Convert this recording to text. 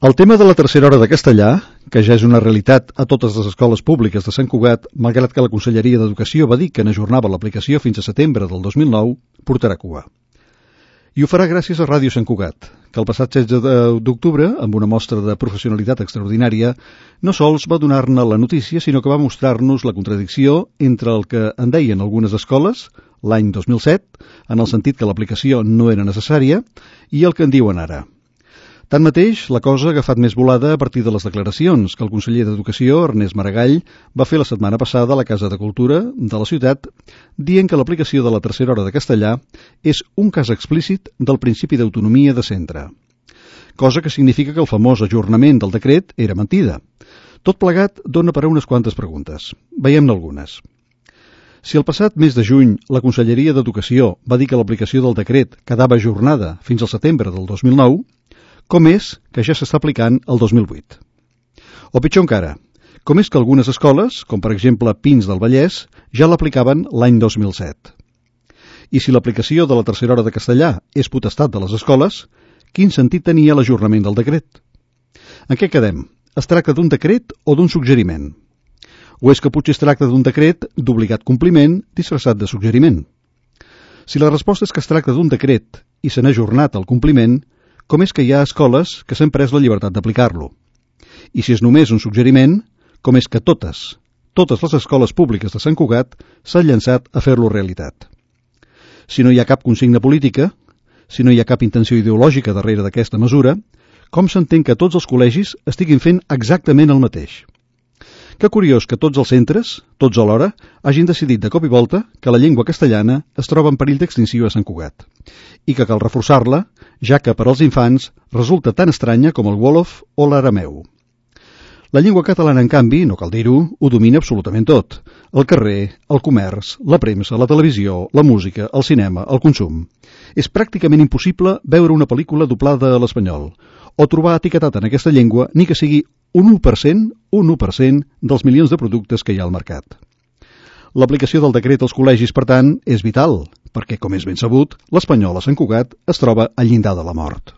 El tema de la tercera hora de castellà, que ja és una realitat a totes les escoles públiques de Sant Cugat, malgrat que la Conselleria d'Educació va dir que n'ajornava l'aplicació fins a setembre del 2009, portarà cua. I ho farà gràcies a Ràdio Sant Cugat, que el passat 16 d'octubre, amb una mostra de professionalitat extraordinària, no sols va donar-ne la notícia, sinó que va mostrar-nos la contradicció entre el que en deien algunes escoles, l'any 2007, en el sentit que l'aplicació no era necessària, i el que en diuen ara. Tanmateix, la cosa ha agafat més volada a partir de les declaracions que el conseller d'Educació, Ernest Maragall, va fer la setmana passada a la Casa de Cultura de la ciutat, dient que l'aplicació de la tercera hora de castellà és un cas explícit del principi d'autonomia de centre. Cosa que significa que el famós ajornament del decret era mentida. Tot plegat dona per a unes quantes preguntes. Veiem-ne algunes. Si el passat mes de juny la Conselleria d'Educació va dir que l'aplicació del decret quedava ajornada fins al setembre del 2009, com és que ja s'està aplicant el 2008? O pitjor encara, com és que algunes escoles, com per exemple Pins del Vallès, ja l'aplicaven l'any 2007? I si l'aplicació de la tercera hora de castellà és potestat de les escoles, quin sentit tenia l'ajornament del decret? En què quedem? Es tracta d'un decret o d'un suggeriment? O és que potser es tracta d'un decret d'obligat compliment disfressat de suggeriment? Si la resposta és que es tracta d'un decret i se n'ha ajornat el compliment, com és que hi ha escoles que s'han pres la llibertat d'aplicar-lo? I si és només un suggeriment, com és que totes les escoles públiques de Sant Cugat s'han llançat a fer-lo realitat? Si no hi ha cap consigna política, si no hi ha cap intenció ideològica darrere d'aquesta mesura, com s'entén que tots els col·legis estiguin fent exactament el mateix? Que curiós que tots els centres, tots alhora, hagin decidit de cop i volta que la llengua castellana es troba en perill d'extinció a Sant Cugat i que cal reforçar-la, ja que per als infants resulta tan estranya com el wòlof o l'arameu. La llengua catalana, en canvi, no cal dir-ho, ho domina absolutament tot. El carrer, el comerç, la premsa, la televisió, la música, el cinema, el consum. És pràcticament impossible veure una pel·lícula doblada a l'espanyol o trobar etiquetat en aquesta llengua ni que sigui un 1% dels milions de productes que hi ha al mercat. L'aplicació del decret als col·legis, per tant, és vital, perquè, com és ben sabut, l'espanyol a Sant Cugat es troba al llindar de la mort.